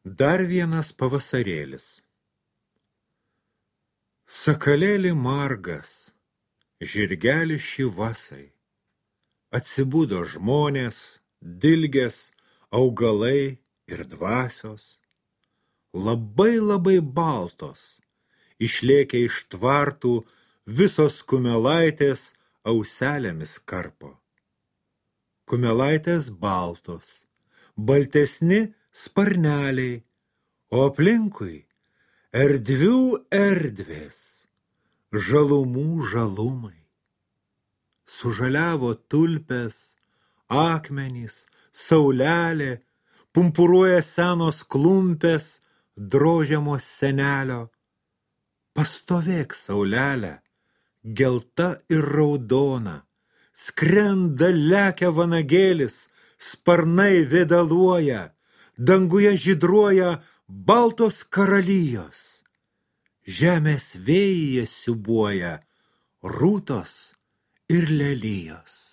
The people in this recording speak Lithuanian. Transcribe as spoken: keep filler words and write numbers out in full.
Dar vienas pavasarėlis. Sakalėli margas, žirgeli šyvasai. Atsibudo žmonės, dilgės, augalai ir dvasios. Labai labai baltos, išlėkę iš tvartų, visos kumelaitės auselėmis karpo. Kumelaitės baltos, baltesni sparneliai, o aplinkui erdvių erdvės, žalumų žalumai. Sužaliavo tulpės, akmenys, saulelė, pumpuruoja senos klumpės, drožiamos senelio. Pastovėk, saulelė, gelta ir raudona, skrenda lekia vanagėlis, sparnai vėdaluoja, danguje žydruoja baltos karalijos. Žemės vėjyje siūbuoja rūtos ir lelijos.